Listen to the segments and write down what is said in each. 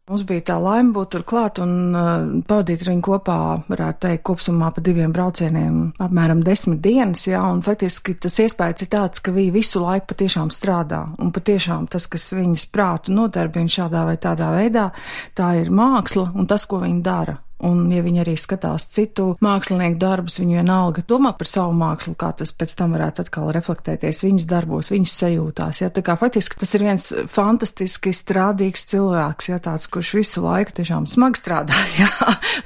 Mums bija tā laime būt tur klāt un pavadīt ar viņu kopā, varētu teikt, kopsumā pa 2 braucieniem apmēram 10 dienas, jā, un faktiski tas iespējas ir tāds, ka viņi visu laiku patiešām strādā, un patiešām tas, kas viņas prātu nodarbina šādā vai tādā veidā, tā ir māksla un tas, ko viņi dara. Un, ja viņi arī skatās citu mākslinieku darbus, viņi vienalga domā par savu mākslu, kā tas pēc tam varētu atkal reflektēties viņas darbos, viņas sajūtās. Ja? Tā kā faktiski tas ir viens fantastiski strādīgs cilvēks, ja? Tāds, kurš visu laiku tiešām smagi strādā. Ja?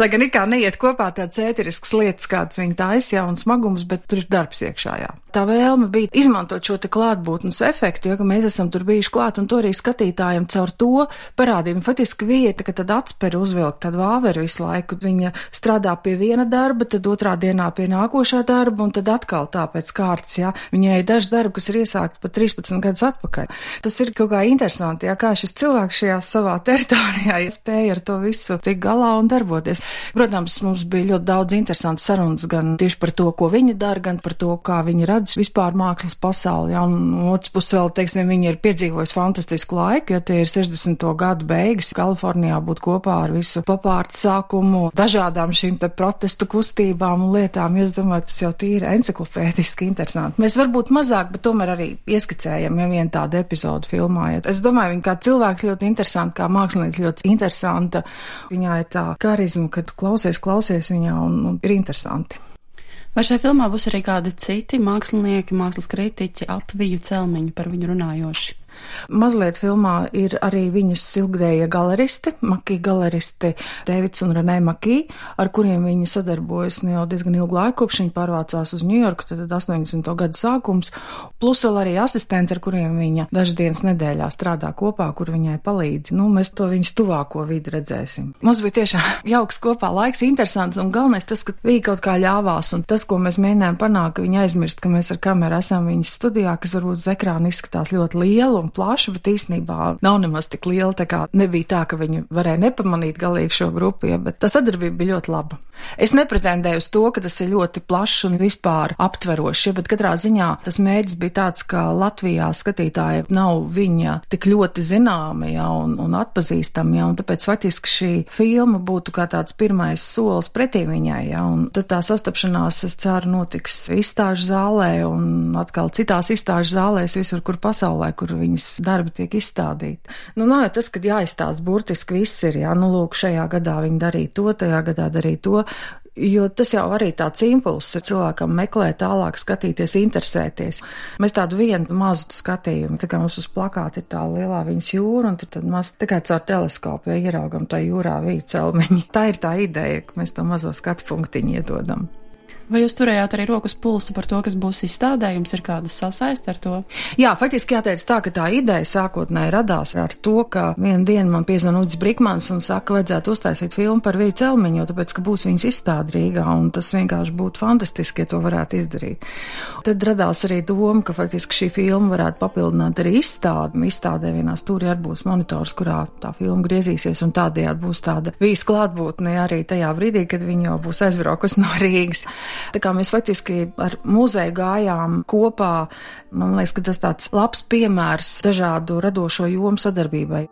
Lai gan ikā neiet kopā tāds ēterisks lietas, kāds viņi taisa, ja? Un smagums, bet tur ir darbs iekšā. Ja? Tā vēlme bija izmantot šo te klātbūtnes efektu, jo ka mēs esam tur bijuši klāt un to arī skatītājiem caur to parādīt. Un faktiski vieta, ka tad atsperi uzvilkt tādu vāveru visu laiku. Viņa strādā pie viena darba, tad otrā dienā pie nākošā darba, un tad atkal tā pēc kārtas, jā. Viņai ir daži darbi, kas ir iesākti pat 13 gadus atpakaļ. Tas ir kaut kā interesanti, jā, kā šis cilvēks šajā savā teritorijā spēja ar to visu tik galā un darboties. Protams, mums bija ļoti daudz interesantas sarunas gan tieši par to, ko viņa dara, gan par to, kā viņa redz vispār mākslas pasauli, jā, un otrs puses vēl, teiksim, viņa ir piedzīvojusi fantastisku laiku, jo tie ir 60. gadu beigas, Kalifornijā būt kopā ar visu popārtu sākumu, dažādām šīm te protestu kustībām un lietām. Es domāju, tas jau tīri enciklopēdiski interesanti. Mēs varbūt mazāk, bet tomēr arī ieskicējam, ja vienu tādu epizodu filmājot. Es domāju, viņa kā cilvēks ļoti interesanti, kā mākslinieks ļoti interesanta. Viņā ir tā karizma, kad klausies viņā un ir interesanti. Vai šajā filmā būs arī kādi citi mākslinieki, mākslas kritiķi ap Viju Celmiņu par viņu runājoši? Mazliet filmā ir arī viņas ilgdējie galeristi, Makī galeristi Deivids un Renē Makī, ar kuriem viņa sadarbojas jau diezgan ilgu laiku, kopš viņa pārvācās uz Ņujorku, tad 80. gadu sākums, plus vēl arī asistenti, ar kuriem viņa dažas dienas nedēļā strādā kopā, kur viņai palīdz. Mēs to viņas tuvāko vidi redzēsim. Mums bija tiešām jauks kopā laiks, interesants, un galvenais tas, ka viņa kaut kā ļāvās, un tas, ko mēs mēģinājām panākt, ka viņa aizmirst, ka mēs ar kameru esam viņas studijā, kas varbūt uz ekrāna izskatās ļoti liela un plaša, bet īstenībā nav nemaz tik liela, tā kā nebija tā, ka viņi varēja nepamanīt galīgi šo grupu, ja, bet tā sadarbība bija ļoti laba. Es nepretendēju uz to, ka tas ir ļoti plašs un vispār aptverošs, ja, bet katrā ziņā tas mērķis bija tāds, ka Latvijā skatītāji nav viņa tik ļoti zināmi, ja, un atpazīstami, ja, un tāpēc faktiski šī filma būtu kā tāds pirmais solis pretī viņai, ja, un tad tā sastapšanās, es ceru, notiks izstāžu zālē un atkal citās izstāžu zālēs visur, kur pasaulē, kur viņas darbi tiek izstādīti. Nav jau tas, kad jāizstāst burtiski viss ir, jā, lūk, šajā gadā viņi darīja to, tajā gadā darīja to, jo tas jau arī tāds impulss ir cilvēkam meklēt tālāk, skatīties, interesēties. Mēs tādu vienu mazu skatījumu, tā kā mums uz plakāta ir tā lielā viņas jūra, un tad mēs tikai caur teleskopu ieraugam tā jūrā Viju Celmiņu. Tā ir tā ideja, ka mēs to mazo skatu punktiņu iedodam. Vai jūs turējāt arī rokas pulsa par to, kas būs izstādē? Jums ir kāda sasaiste ar to? Jā, faktiski jāteic tā, ka tā ideja sākotnēji radās ar to, ka vienu dienu man piezvan Uģis Brikmans un saka, vajadzētu uztaisīt filmu par Viju Celmiņu, jo tāpēc, ka būs viņas izstāde Rīgā, un tas vienkārši būtu fantastiski, ja to varētu izdarīt. Tad radās arī doma, ka faktiski šī filma varētu papildināt arī izstādi. Izstādē vienā stūrī arī būs monitors, kurā tā filma griezīsies, un tādējādi būs tāda Vijas klātbūtne arī tajā brīdī, kad viņa jau būs aizbraukusi no Rīgas. Tā kā mēs faktiski ar muzeju gājām kopā, man liekas, ka tas tāds labs piemērs dažādu radošo jomu sadarbībai.